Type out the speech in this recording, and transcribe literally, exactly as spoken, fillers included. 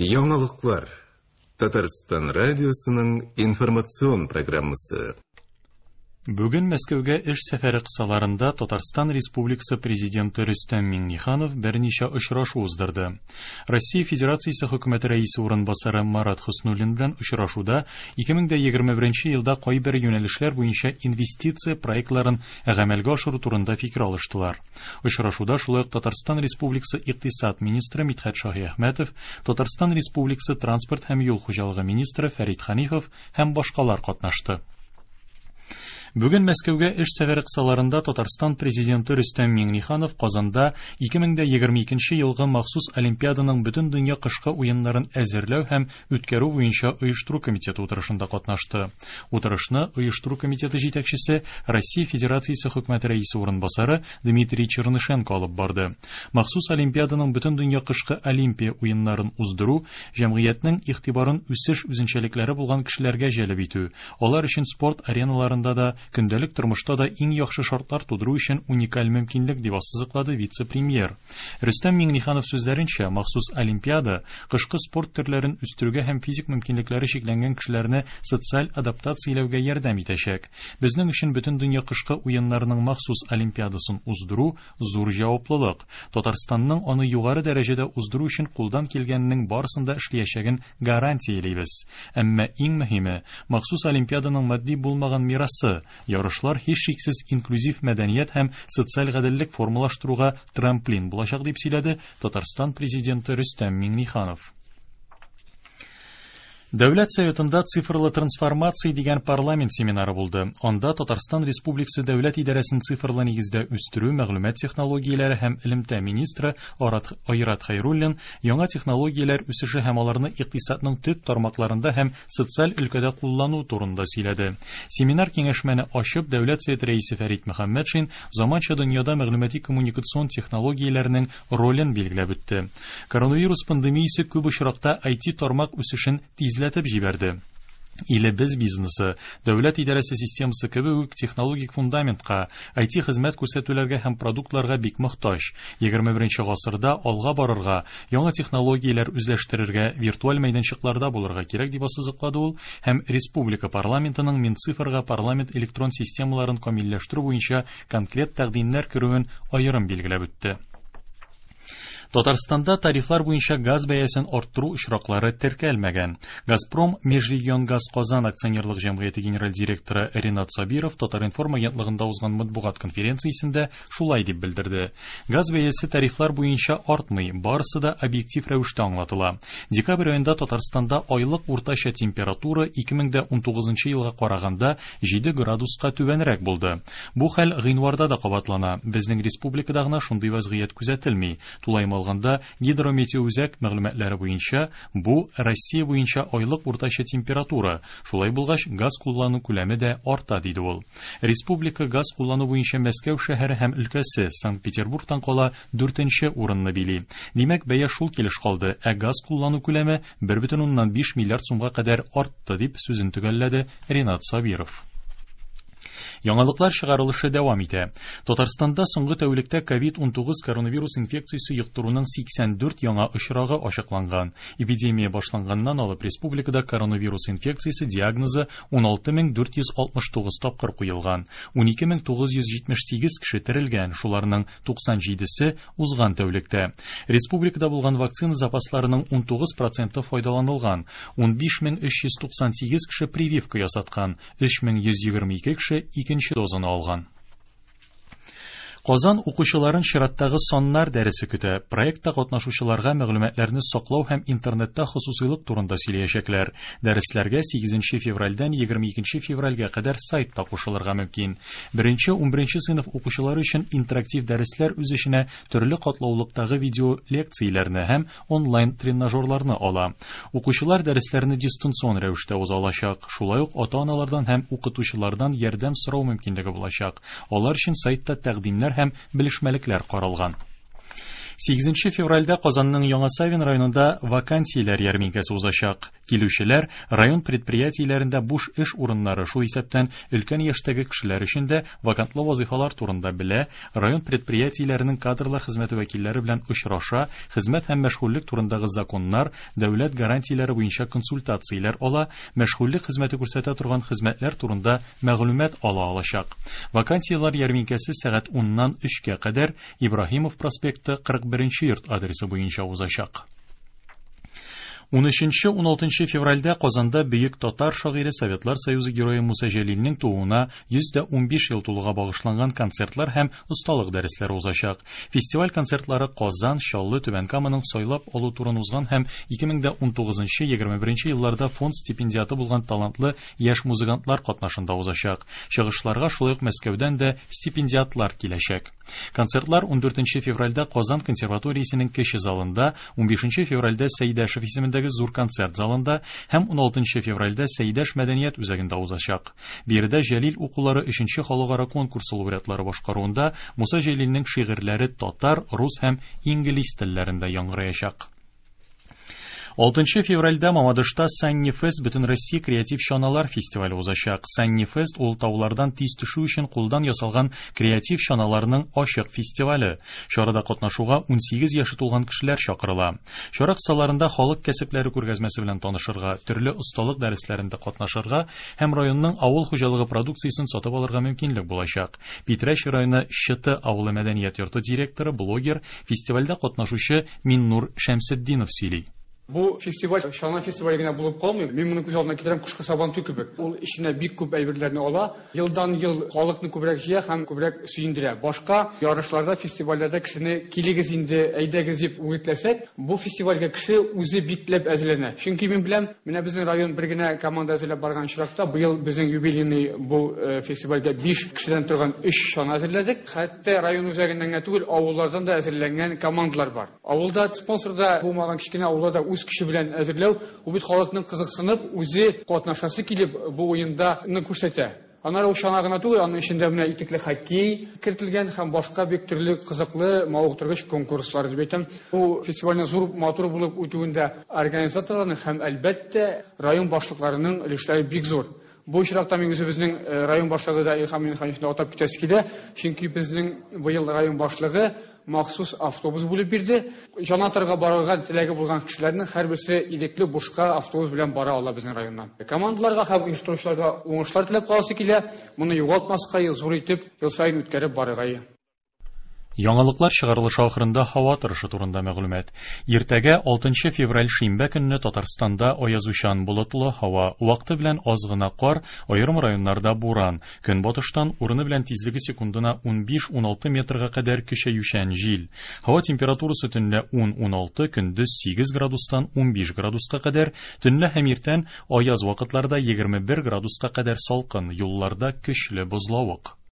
Яңалыклар. Татарстан радиосының информацион программасы. Бүген Мәскәүгә эш сәфәре кысаларында Татарстан Республикасы Президенты Рөстәм Миңнеханов берничә очрашу уздырды. Россия Федерациясе Хөкүмәте рәисе урынбасары Марат Хөснуллин белән очрашуда ике мең егерме беренче елда кайбер юнәлешләр буенча инвестиция проектларын гамәлгә ашыру турында фикер алыштылар. Очрашуда шулай ук Татарстан Республикасы икътисад министры Мидхәт Шаһиәхмәтов, Татарстан Республикасы транспорт һәм юл хуҗалыгы министры Фәрит Ханифов һәм башкалар катнашты. Бүген Мәскәүгә эш сәфәре кысаларында Татарстан Президенты Рөстәм Миңнеханов Казанда ике мең егерме икенче елгы махсус Олимпиаданың бөтен дөнья кышкы уеннарын әзерләү һәм үткәрү буенча оештыру комитеты утырышында катнашты. Утырышны оештыру комитеты җитәкчесе Россия Федерациясе Хөкүмәте рәисе урынбасары Дмитрий Чернышенко алып барды. Махсус Олимпиаданың бөтен дөнья кышкы Олимпия уеннарын уздыру җәмгыятьнең игътибарын үсеш үзенчәлекләре булган кешеләргә җәлеп итү, алар өчен спорт ареналарында да көндәлек тормышта да иң яхшы шартлар тудыру өчен уникаль мөмкинлек дип ассызыклады вице-премьер. Рөстәм Миңнеханов сүзләренчә, махсус Олимпиада кышкы спорт төрләрен үстерүгә һәм физик мөмкинлекләре чикләнгән кешеләрне социаль адаптацияләүгә ярдәм итәчәк. Безнең өчен бөтен дөнья кышкы уеннарының махсус Олимпиадасын уздыру зур җаваплылык. Татарстанның аны югары дәрәҗәдә уздыру өчен кулдан килгәненең барысын да эшләячәген гарантиялибез. Әмма иң мөһиме, махсус Олимпиаданың матди булмаган мирасы, ярышлар һичшиксез инклюзив мәдәният һәм социаль гаделлек формалаштыруга трамплин булачак дип сөйләде Татарстан Президенты Рөстәм Миңнеханов. Дәүләт Советында цифрлы трансформация дигән парламент семинары булды. Анда Татарстан Республикасы Дәүләт идарәсен цифрлы нигездә үстерү, мәгълүмат технологияләре һәм элемтә министры Айрат Хәйруллин яңа технологияләр үсеше һәм аларны икътисадның төп тармакларында һәм социаль өлкәдә куллану турында сөйләде. Семинар киңәшмәне ачып, Дәүләт Советы рәисе Фәрит Мөхәммәтшин заманча дөньяда мәгълүмати коммуникацион технологияләрнең ролен билгеләп үтте. Коронавирус пандемиясе күп очракта ай ти тармак үсешен тизләтте җибәрде. Илебез бизнесы, дәүләт идарәсе системасы кебек үк технологик фундаментка, ай ти хезмәт күрсәтүләргә һәм продуктларга бик мохтаҗ. Егерме беренче гасырда алга барырга, яңа технологияләр үзләштерергә, виртуаль мәйданчыкларда булырга кирәк дип ассызыклады ул һәм республика парламентының Минцифрга парламент электрон системаларын камилләштерү буенча конкрет тәкъдимнәр керүен аерым билгеләп үтте. Татарстанда тарифлар буенча газ бәясен арттыру очраклары теркәлмәгән. Газпром Межрегионгаз Казан акционерлык җәмгыяте генераль директоры Ринат Сабиров Татар-информ агентлыгында узган матбугат конференциясендә шулай дип белдерде. Газ бәясе тарифлар буенча артмый, барысы да объектив рәвештә аңлатыла. Декабрь аенда Татарстанда айлык уртача температура ике мең унтугызынчы елга караганда җиде градуска түбәнрәк булды. Бу хәл гыйнварда да кабатлана. Безнең республикада гына шундый вазгыять күзәтелми. Тулаем алганда гидрометеоүзәк мәгълүматлары буенча бу Россия буенча айлык уртача температура. Шулай булгач, газ куллану күләме дә арта, диде ул. Республика газ куллану буенча Мәскәү шәһәре һәм өлкәсе Санкт-Петербургтан кала дүртенче урынны били. Димәк, бәя шул килеш калды, ә газ куллану күләме бер бөтен уннан биш миллиард сумга кадәр артты, дип сүзен төгәлләде Ринат Сабиров. Яңалыклар чыгарылышы дәвам итә. Татарстанда соңгы тәүлектә ковид унтугыз коронавирус инфекциясе йоктыруның сиксән дүрт яңа очрагы ачыкланган. Эпидемия башланганнан алып республикада коронавирус инфекциясе диагнозы уналты мең дүрт йөз алтмыш тугыз тапкыр куелган. Унике мең тугыз йөз җитмеш сигез кеше терелгән, шуларның туксан җидесе узган тәүлектә. Республикада булган вакцина запасларының унтугыз проценты файдаланылган. Унбиш мең өч йөз туксан сигез кеше прививка ясаткан, өч мең йөз егерме ике кеше икенче дозаны алган. Казан укучыларын чираттагы саннар дәресе көтә. Проектта катнашучыларга мәгълүматларны саклау һәм интернетта хосусыйлык турында сөйләячәкләр. Дәресләргә сигезенче февральдән егерме икенче февральгә кадәр сайтта кушылырга мөмкин. Беренче унберенче сыйныф укучылары өчен интерактив дәресләр үз эченә төрле катлаулыктагы видео лекцияләрне һәм онлайн тренажерларны ала. Укучылар дәресләрне дистанцион рәвештә уза алачак. Шулай ук ата-аналардан һәм укытучылардан ярдәм сорау мөмкинлеге булачак. Алар өчен сайтта тәкъдимнәр һәм белешмәлекләр каралган. Сигезенче февральдә Казанның Яңа Савин районында вакансияләр ярминкәсе узачак. Килүчеләр район предприятиеләрендә буш эш урыннары, шул исәптән өлкән яшьтәге кешеләр өчен дә вакантлы вазифалар турында белә, район предприятиеләренең кадрлар хезмәте вәкилләре белән очраша, хезмәт һәм мәшгульлек турындагы законнар, дәүләт гарантияләре буенча консультацияләр ала, мәшгульлек хезмәте күрсәтә торган хезмәтләр турында мәгълүмат ала алачак. Вакансияләр ярминкәсе сәгать уннан өчкә кадәр Ибраһимов проспекты кырык беренче йорт адресы буенча узачак. Унөченче-уналтынчы февральдә Казанда бөек татар шагыйре Советлар Союзы герое Муса Җәлилнең тууына йөз дә унбиш ел тулуга багышланган концертлар һәм осталык дәресләре узачак. Фестиваль концертлары Казан, Чаллы, Түбән Каманың сайлап алу турын узган һәм ике мең дә унтугызынчы, егерме беренче елларда фонд стипендиаты булган талантлы яшь музыкантлар катнашында узачак. Чыгышларга шулай ук Мәскәүдән дә стипендиатлар киләчәк. Концертлар ундүртенче февральдә Казан консерваториясенең кече залында, унбишенче февральдә Сәйдәшев исемендәге зур концерт залында һәм уналтынчы февральдә Сәйдәш мәдәният үзәгендә узачак. Биредә Җәлил укулары өченче халыкара конкурсы лауреатлары башкаруында Муса Җәлилнең шигырьләре татар, рус һәм инглиз телләрендә яңгыраячак. Алтынчы февральдә Мамадышта Санни Фест Бөтенроссия креатив чаналар фестивале узачак. Санни Фест ул таулардан тиз төшү өчен кулдан ясалган креатив чаналарның ачык фестивале. Чарада катнашуга унсигез яше тулган кешеләр чакырыла. Чара кысаларында халык кәсепләре күргәзмәсе белән танышырга, төрле осталык дәресләрендә катнашырга һәм районның авыл хуҗалыгы продукциясен сатып алырга мөмкинлек булачак. Питрәч районы Чыты авылы мәдәният йорты директоры, блогер, фестивальдә катнашучы Миннур Шәмсетдинов сөйли. Бу фестиваль чана фестивале генә булып калмый. Мин моны күз алдына китерәм, кышкы сабантуй кебек. Ул эченә бик күп әйберләрне ала. Елдан ел халыкны күбрәк җыя һәм күбрәк сөендерә. Башка ярышларда, фестивальләрдә кешене килегез инде, әйдәгез дип үгетләсәк, бу фестивальгә кеше үзе бик теләп әзерләнә. Чөнки мин беләм, менә безнең район бер генә команда әзерләп барган очракта, быел безнең юбилейный бу, э, фестивальгә биш кешедән торган өч чана әзерләдек. Хәтта район үзәгеннән генә түгел, авыллардан да әзерләнгән командалар бар. Авылда спонсорда булмаган кечкенә авылда үз көче белән әзерләү, ул бит халыкның кызыксынып, үзе катнашасы килеп бу уенда ны күрсәтә. Аннары ул чана гына түгел, аның эчендә менә итекле хоккей кертелгән һәм башка бик төрле кызыклы, мавыктыргыч конкурслар дип әйтәм. Бу фестивальнең зур, матур булып үтүендә организаторларның һәм әлбәттә район башлыкларының өлешләре бик зур. Бу очракта мин үзебезнең, э, район башлыгы да Илһам Миннехановичны атап китәсе килә, чөнки безнең быел район башлыгы махсус автобус бүлеп бирде. Җанатарга барырга теләге булган кешеләрнең һәрберсе ирекле бушка автобус белән бара ала безнең районнан. Командаларга һәм оештыручыларга уңышлар теләп каласы килә. Моны югалтмаска, зур итеп ел саен үткәреп барырга. Яңалыклар чыгарылышы ахырында һава торышы турында мәгълүмат. Иртәгә алтынчы февраль шимбә көнне Татарстанда аязучан болытлы һава, вакыты белән аз гына кар, аерым районнарда буран. Көнбатыштан урыны белән тизлеге секундына унбиш-уналты метрга кадәр көчәючән җил. Һава температурасы төнлә ун-уналты, көндез сигез градустан унбиш градуска кадәр, төнлә һәм иртән аяз вакытларда егерме бер градуска кадәр салкын, юлларда көчле бозлавык.